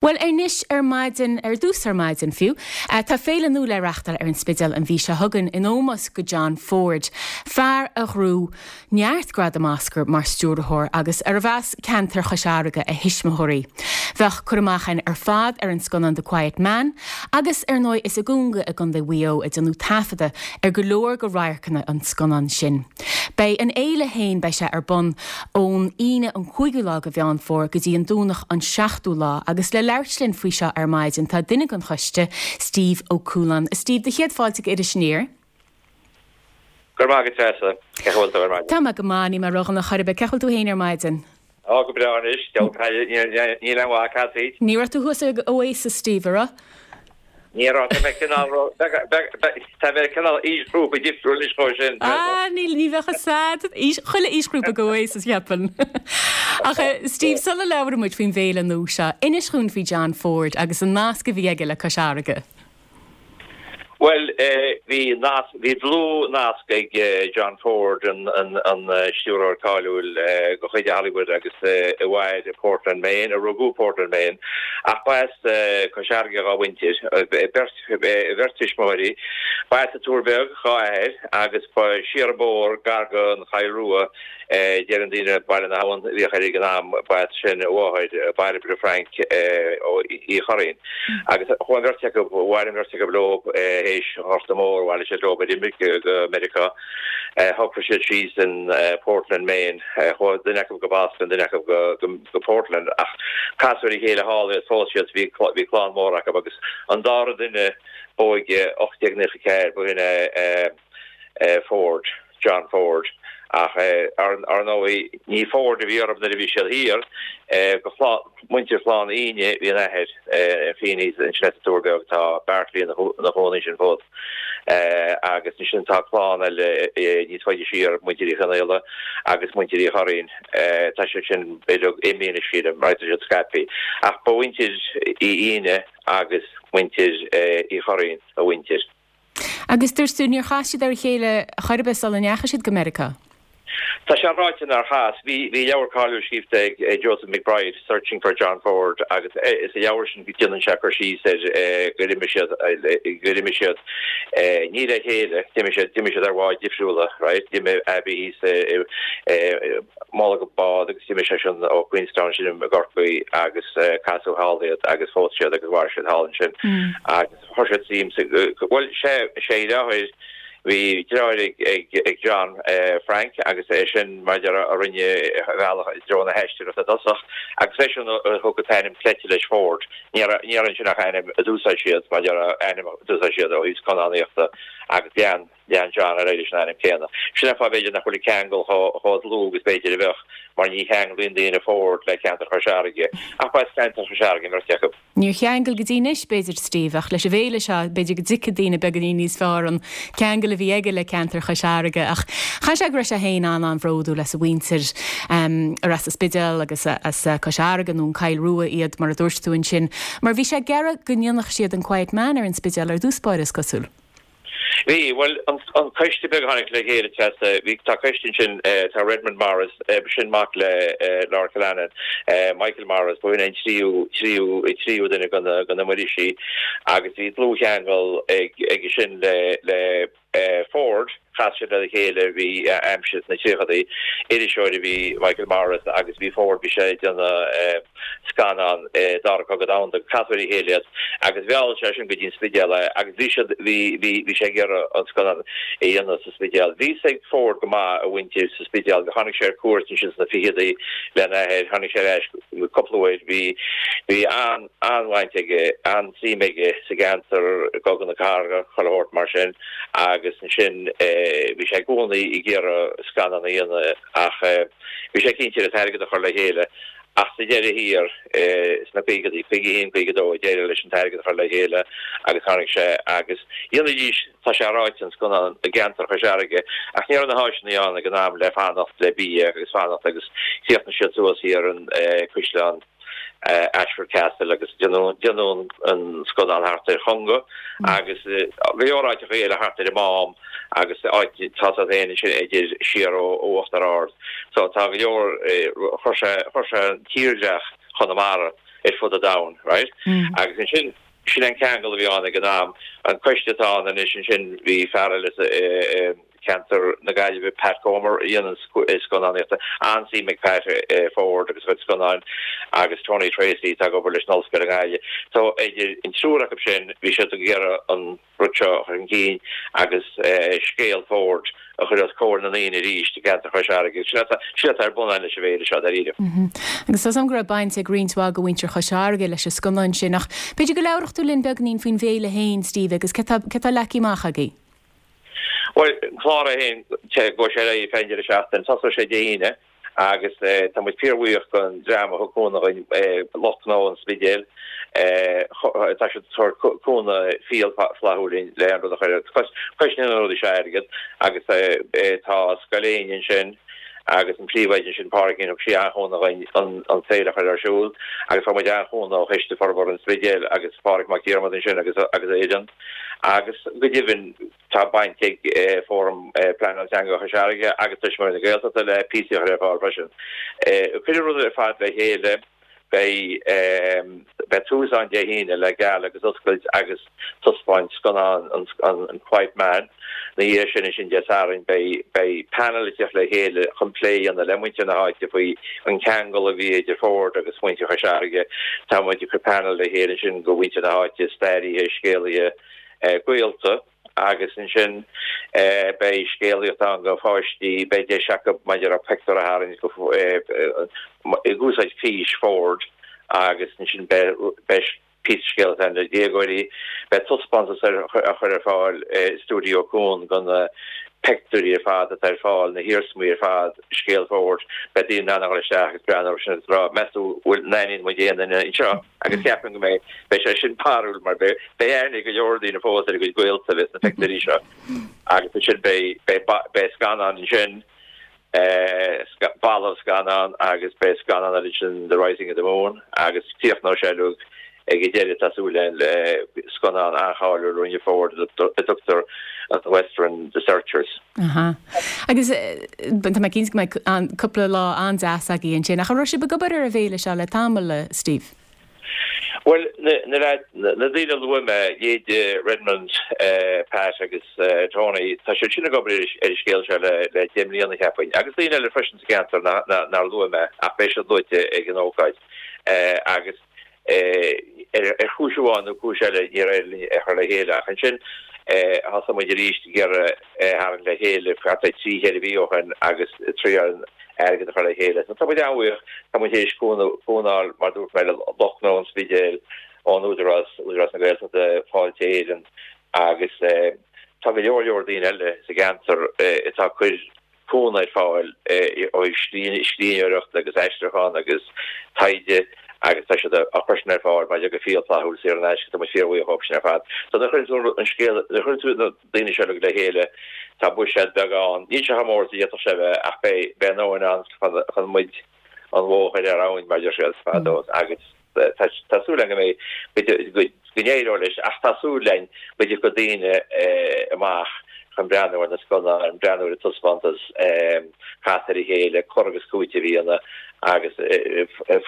Bhuel, anois ar maidin, ar dtús ar maidin fiú, tá féile nua le reachtáil ar an Spidéal an mhí seo chugainn in ómós go John Ford, fear a ghnóthaigh neart gradam Oscar mar stiúrthóir agus arbh as ceantar Chois Fharraige a thuismitheoirí. Bheadh cur amach againn ar fad ar an scannán The Quiet Man agus, ar ndóigh, is i gConga i gContae Mhaigh Eo a déanadh taifeadadh ar go leor de radharcanna an scannáin sin. Beidh an fhéile féin, beidh sé ar bun ón Aoine an 5ú lá de Mheán Fómhair go dtí an Domhnach an 7ú lá agus le labhairt linn faoi seo ar maidin tá duine den choiste, Steve Ó Cualáin. A Steve, do chéad fáilte go Iris Aniar. Go raibh maith agat Treasa. Cén chaoi a bhfuil tú ar maidin? Tá mé go maith, níl mé ródhona chor ar bith. Cén chaoi a bhfuil tú féin ar maidin? Á, go breá anois, deabhal caille, níl aon mhaith casaoid. Ní raibh tú thuas ag Oasis, Steve, a raibh? Ní raibh, tá mé cineál, tá mé cineál aoisghrúpa difriúil anois dhó sin. Ah, níl, ní bheadh fhios a'd, aois, chuile aoisghrúpa ag Oasis, cheapfainn. Ach, Steve, sula labhraíonn muid faoin bhféile nua seo, inis dhúinn faoi John Ford agus an nasc a bhí aige le Cois Fharraige. Bhuel, bhí nasc, bhí dlúth-nasc ag John Ford, an stiúrthóir cáiliúil de chuid Hollywood agus a mhair i Portland, Maine, a rugadh i Portland, Maine, ach ba as Cois Fharraige dhá mhuintir, beirt, a bheirt tuismitheoirí. Ba as an Tuar Beag dhá athair agus ba siar an bóthar gar don Choill Rua Deireann daoine Baile na hAbhann a bhíodh air ag an am, ba as sin a mháthair, Bairbre Frainc ó Uí Churraoin. Agus chuaigh an bheirt acu, mhair an bheirt acu leo théis an Ghorta Mhóir, bhailigh siad leo ar imirce go Meiriceá. Shocraigh siad síos in Portland, Maine. Chuaigh duine acu go Boston, duine acu go Portland ach casadh ar a chéile thall iad, phós siad, bhí clann mhór acu agus an dara duine b'óige, 1894, ba shin é Ford. John Ford, ach ar ndóigh ní Ford a bhí orthu nuair a bhí siad thiar, go muintir Chlann Fhíne bhí an athair, Feeneys, ansin as an Tuar Beag, tá Bartley ina chónaí ansin fós, agus ansin tá clann eile níos faide siar, muintir Uí Chonghaile agus muintir Uí Churraoin, tá siad sin uilig imithe anois sílim, mar tá siad scaipthe, ach ba mhuintir Uí Fhíne agus muintir Uí Churraoin a mhuintir. Agus dúirt tú, níor chas siad ar a chéile chor ar bith sula ndeachaigh siad go Meiriceá? Tá sé ráite nár chas. Bhí leabhar cáiliúil scríofa ag Joseph McBride, Searching for John Ford, agus sa leabhar sin déanann sé cur síos ar gur imigh siad, gur imigh siad ní le chéile, d'imigh siad, d'imigh siad ar bháid difriúla, right? D'imigh Abby thíos i mullach an bád agus d'imigh seisean ó Queenstown sin i gCorcaigh agus casadh thall iad agus phós siad agus mhair siad thall ansin agus Chuir siad suim sa, bhuel, sé, sé a dheartháir, bhí deartháir ag, ag, ag John, Frank, agus é sin, mar a déarfá, a rinne a bhealach i dtreo na haisteoireachta i dtosach, agus eisean a thug an t-ainm cleite leis, Ford. Ní raibh, ní raibh ansin ach ainm a d'úsáid siad, mar a déarfá, ainm a d'úsáid siad ó thaobh scannánaíochta, agus lean, lean John ar aghaidh leis an ainm céanna. Sin an fáth, b'fhéidir, nach bhfuil an ceangal chomh, chomh dlúth agus b'fhéidir a bheadh, mar ní cheanglaíonn daoine Ford le ceantar Chois Fharraige, ach ba as ceantar Chois Fharraige an bheirt acu. Níor cheangail go dtí anois, b'fhéidir, Steve, ach leis an bhféile seo, b'fhéidir go dtuigfidh daoine beagáinín níos fearr an ceangal a bhí aige le ceantar Chois Fharraige. Ach chaithfeadh sé go raibh sé féin an-an-bhródúil as a mhuintir, ar as an Spidéal agus as Cois Fharraige nó an Choill Rua iad, mar a dúirt tú ansin, mar bhí sé ag iarraidh go ndéanfadh siad an Quiet Man ar an Spidéal ar dtús báire, is cosúil. Bhí, bhuel, an coiste beag a tháinig le chéile, Treasa, bhí, tá coiste ansin, tá Redmond Morris, sin mac le Lord Killanin, Michael Morris, ba shin é an tríú, tríú, tríú duine de na, de na Muirísí agus bhí dlúthcheangal ag, aige sin le, le Ford, chas siad lena chéile, bhí aimsir sna tríochadaí, iriseoir a bhí Michael Morris agus bhí Ford, bhí sé ag déanamh. scannán Dara Cogadh Domhanda, casadh ar a chéile iad agus mheall sé sin go dtí an Spidéal é agus bhí siad, bhí, bhí, bhí sé ag iarraidh an scannán a dhéanamh sa Spidéal. Bhí fhios ag Ford go maith a mhuintir sa Spidéal, tháinig sé ar cuairt ansin sna ficheadaí lena athair, tháinig sé ar ais cúpla uair, bhí, bhí an, an-bhaint aige, an-suim aige sa gceantar, i gCogadh na Cathartha, chuile shórt mar sin agus ansin bhí sé i gcónaí ag iarraidh scannán a dhéanamh ach bhí sé cinnte an t-airgead a chur le chéile. Ach sa deireadh thiar, sna caogaidí, 51, 52, d'éirigh leis an t-airgead a chur le chéile agus tháinig sé agus dhéanfaidís, tá sé ráite, an scannán i gceantar Chois Fharraige, ach ní raibh na háiseanna ann ag an am le fanacht le bia agus fanacht agus chríochnaigh siad suas thiar in Caisleán Ashford Castle agus déanadh an scannán thart ar Chonga agus go leor áiteacha eile thart ar an Mám. agus áit tá siad féin ansin idir siar ó Uachtar Ard. So tá go leor, chuir sé, chuir sé an tírdhreach Chonamara. ar fud an domhain, right? Agus ansin, sin an ceangal a bhí ann ag an am. An coiste atá ann anois ansin, bhí fear eile sa cheantar na Gaillimhe, Pat Comer, a dhéanann scannánaíochta, an-suim ag Pat i Ford agus a chuid scannáin, agus Tony Tracy atá ag obair leis an Ollscoil i nGaillimh. So idir an triúr acu sin, bhí siad ag iarraidh an rud seo a chur chun cinn agus scéal Ford a chur os comhair na ndaoine arís i gceantar Chois Fharraige. Sin atá sin atá ar bun againn leis an bhféile seo, dáiríre. Agus tá 's agam go raibh baint ag roinnt mhaith de mhuintir Chois Fharraige leis an scannán sin, ach b'fhéidir go labharfadh tú linn beagainín faoin bhféile féin, Steve, agus cé tá cé tá leagtha amach agaibh? Bhuel, an clár é féin, gabhfaidh sé ar aghaidh feadh an deireadh seachtaine, tosóidh sé Dé hAoine, Agus tá muid fíorbhuíoch don dream a thug cúnamh dhuinn, lucht gnó an Spidéil. Tá siad ag tabhairt cúnamh fial flaithiúil linn le an rud a chur ar cois na rudaí seo airgead. Agus tá Scoil Éinne ansin agus an príomhoide ansin, Pádraigín, thug sí an-chúnamh dhuinn an féile a chur ar siúl. Agus fuair muid an-chúnamh ó Choiste Forbartha an Spidéil agus Pádraig Mac Diarmada ansin agus a fhoireann. Agus go deimhin, Tá baint ag Fóram Pleanála Teanga Chois Fharraige agus Tuismitheoirí na Gaeltachta le píosaí a chur ar fáil freisin. Cuireadh an rud ar fad le chéile. Beidh tús ann Dé hAoine le gala agus oscailt agus taispeáint scannán an Quiet Man. Ina dhiaidh sin, ansin Dé Sathairn, beidh panel ag teacht le chéile chun plé a dhéanamh le muintir na háite faoi an ceangal a bhí idir Ford agus muintir Chois Fharraige. Tá muid ag cur panel le chéile ansin go mhuintir na háite, stairithe, scéalaithe, gaolta agus ansin beidh scéalaíocht ann go pháistí, beidh deis acu maidir le pictiúr a tharraingt ag úsáid fís Ford agus ansin beidh píosa scéalaíochta ann do dhéagóirí. Beidh taispeántas á chur ar fáil i Stiúideo Cuan go na pictiúirí ar fad atá ar fáil, na hiarsmaí ar fad, scéal Ford, beidh daoine in ann a dhul isteach agus breathnú orthu sin agus rá, meas tú bhfuil an aithníonn muid aon duine anseo? Agus ceapaim go mbeidh, beidh sé sin barrúil mar beidh, beidh aithne ag go leor daoine fós ar a gcuid gaolta a bheith sna pictiúirí seo. Agus ansin beidh, beidh, beidh scannán ansin, balbh scannán agus beidh scannán eile ansin The Rising of the Moon agus críochnóidh sé uilig ag an deireadh tá súil againn le scannán an-cháiliúil a rinne Ford a dtugtar an Western The Searchers. Aha. Agus tá mé cinnte go mbeidh cúpla lá an-deas agaibh ansin. Ach an raibh sibh ag obair ar an bhféile seo le tamall, a Steve? Bhuel, na daoine a luaigh mé, leithéidí Redmond, Pat agus Tony, tá siad sin ag obair ar an scéal seo le 10 mbliana, cheapfainn. Agus daoine eile freisin sa cheantar nár luaigh mé, ach beidh siad luaite ag an ócáid. Agus ar chúis amháin nó cúis eile níor éirigh linn é a chur le chéile ach ansin thosaigh muid arís ag iarraidh é a tharraingt le chéile thart ar thrí cheithre mhí ó shin agus triail an airgead a chur le chéile. So tá muid an-bhuíoch, tá muid théis cúnamh a fháil mar dúirt mé le lucht gnó an Spidéil, ón Údarás, Údarás na Gaeltachta, Fáilte Éireann agus tá go leor leor daoine eile sa gceantar atá ag cur cúnamh ar fáil ó thaobh scríbhneoireachta agus aistriúchán agus taighde agus tá siad á chur sin ar fáil maidir go fial flaithiúil saor in aisce, tá muid fíorbhuíoch dhóibh sin ar fad. So nuair a chuireann tú an scéal, nuair a chuireann tú na daoine seo uilig le chéile, tá buiséad beag ann, níl sé chomh mór is a d'fhéadfadh sé a bheith ach beidh, beidh a ndóthain ann chun, chun muid an bhó a chur ar abhainn mar a deir siad fadó agus tá súil againn go mbeidh, go n-éireoidh leis ach tá súil againn go dtiocfaidh daoine amach chun breathnú ar na scannáin, breathnú ar an taispeántas, casadh ar a chéile, cur agus cúiteamh a dhéanamh agus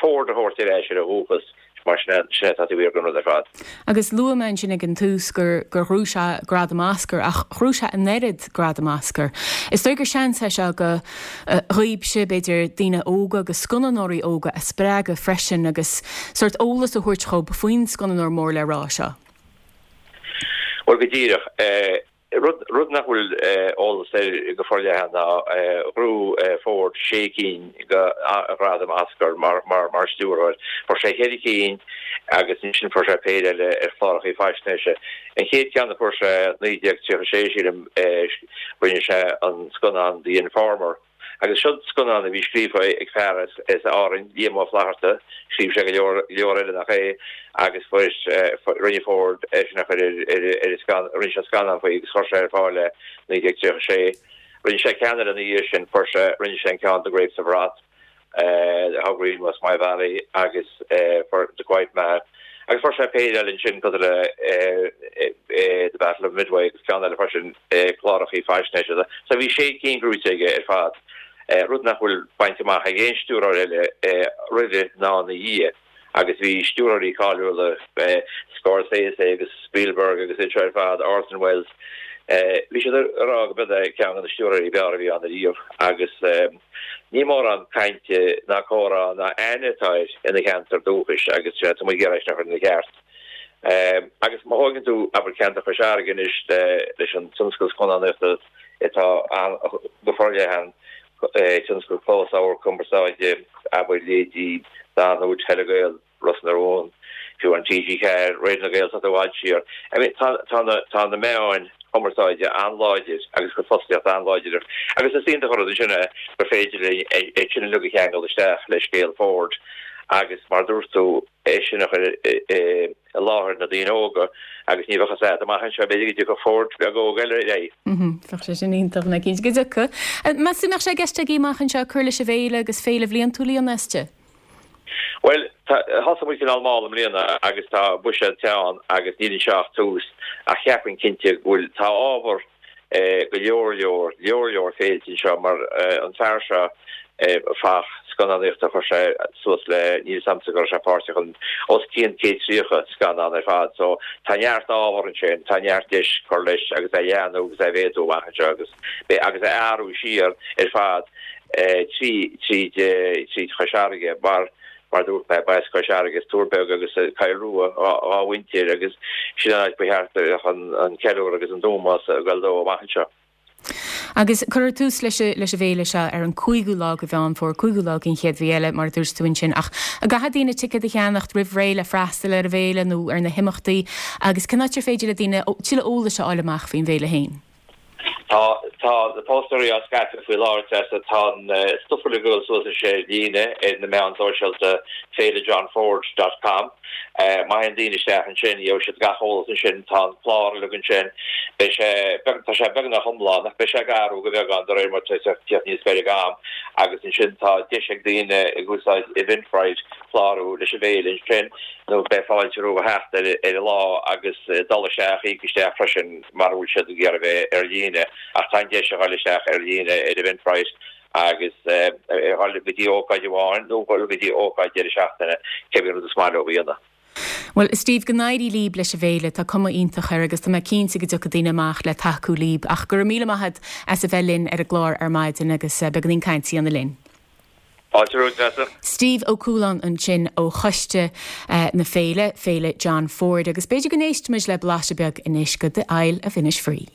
Ford a thabhairt ar ais ar a dhúchas mar sin é sin é atá taobh thiar den rud ar fad. Agus luaigh mé ansin ag an tús gur gur ghnóthaigh sé gradam Oscar ach ghnóthaigh sé an oiread gradam Oscar. Is dóigh gur seans é seo go dhaoibhse, b'fhéidir, daoine óga agus scannánóirí óga a spreagadh freisin agus sórt eolas a thabhairt dhóibh faoin scannánóir mór le rá seo. Bhuel, go díreach. Rud, rud nach bhfuil eolas air go forleathan ná ghnóthaigh Ford sé cinn de ghradaim Oscar mar, mar, mar stiúrthóir. Fuair sé cheithre cinn agus ansin fuair sé péire eile ar chláracha faisnéise. An chéad cheann a fuair sé, 1936, sílim, Rinne sé an scannán The Informer agus seo scannán a bhí scríofa ag fear as Árainn, Liam Ó Flaithearta, scríobh sé go leor leor eile nach é, agus fuair, rinne Ford é sin a chur ar ar an rinne sé scannán faoi agus chuir sé ar fáil é 1936. Rinne sé ceann eile ina dhiaidh sin, fuair sé, rinne sé an ceann The Grapes of Wrath. How Green Was My Valley agus fuair The Quiet Man agus fuair sé péire eile ansin cosúil le The Battle of Midway agus ceann eile freisin clárachaí faisnéise. So bhí sé cinn gnóthaithe aige ar fad, rud nach bhfuil bainte amach ag aon stiúrthóir eile roimhe ná ina dhiaidh. Agus bhí stiúrthóirí cáiliúla, Scorsese agus Spielberg agus iad seo ar fad, Orson Welles, bhí siad ag rá go b'iod é ceann de na stiúrthóirí ab fhearr a bhí ann ariamh. Agus ní mórán cainte ná comhrá ná aithne atá air ina cheantar dúchais agus tá muid ag iarraidh é sin a chur ina cheart. Agus má thógann tú, abair, ceantar Chois Fharraige anois leis an tionscal scannánaíochta atá ann go forleathan, tionscal closamhairc, cumarsáide, abair, leithéidí Danú, Telegael, Ros na Rún, fiú an TG4, Raidió na Gaeltachta i bhfad siar. I mean, tá, tá na, tá na meáin chumarsáide an-láidir agus a gcuid fostaíocht an-láidir agus is iontach an rud ansin é gur féidir linn é sin uilig a cheangal isteach le scéal Ford agus mar a dúirt tú, é sin a chur i láthair na daoine óga agus ní bheadh a fhios agat amach anseo, b'fhéidir go dtiocfadh Ford beag óg eile ar aghaidh. Bheadh sé sin iontach, ná cinnte go dtiocfadh. Meas tú an mbeadh sé i gceist agaibh amach anseo cur leis an bhféile agus féile bhliantúil a dhéanamh aisti? Bhuel, thosaigh muid cineál mall i mbliana agus tá buiséad teann agus níl anseo ach tús ach cheapfainn cinnte go bhfuil, tá ábhar go leor leor, leor leor féilte anseo mar an fear seo fathach scannánaíochta chuir sé suas le, níl 'fhios a'msa go raibh sé páirteach in os cionn 130 scannán ar fad so tá neart ábhar ansin, tá neart deis cur leis agus é a leathnú agus é a mhéadú amach anseo agus agus é a athrú siar ar fad trí tríd tríd Chois Fharraige mar Mar a dúirt mé, ba as Cois Fharraige, as Tuar Beag agus Coill Rua dhá mhuintir agus sin an áit ba cheart a bheadh an ceiliúradh agus an t-ómós ag dul dó amach anseo. Agus cuirfear tús leis leis an bhféile seo ar an 5ú lá de Mheán Fómhair, 5ú lá den chéad mhí eile, mar a dúirt tú ansin. Ach an gcaithfidh daoine ticéad a cheannacht roimh ré le freastal ar an bhféile nó ar na himeachtaí agus cén áit ar féidir le daoine tuilleadh eolais a fháil amach faoin bhféile féin? Tá, tá na póstaerí á scaipeadh faoi láthair, Treasa. Tá an stuif uilig ag dul suas anois ar líne ar na meáin sóisialta, féilejohnford dot com. Má théann daoine isteach ansin, gheobhaidh siad gach eolas ansin. Tá an clár uilig ansin. Beidh sé, tá sé beagnach iomlán ach beidh sé ag athrú go beagán de réir mar tá sé ag tíocht níos gaire ag am. Agus ansin tá deis ag daoine ag úsáid Eventbrite clárú leis an bhféile ansin nó beidh fáilte rompu a theacht ar an lá agus dul isteach, íoc isteach freisin. mara bhfuil siad ag iarraidh a bheith ar líne, ach tá an deis a dhul isteach ar líne ar Eventbrite agus a dhul go dtí ócáid amháin nó dhul go dtí ócáid deireadh seachtaine, cibé rud is maith leo a dhéanamh. Bhuel, a Steve, go n-éirí líb leis an bhféile, tá cuma iontach air agus tá mé cinnte go dtiocfaidh daoine amach le tacú líb. Ach go raibh míle maith agat as a bheith linn ar an gclár ar maidin agus beagáinín cainte a dhéanamh linn. Fáilte romhat, Treasa. Steve Ó Cualáin ansin ó choiste na féile, Féile John Ford, agus b'fhéidir go n-éistfimid le blaiseadh beag anois de The Isle of Innisfree.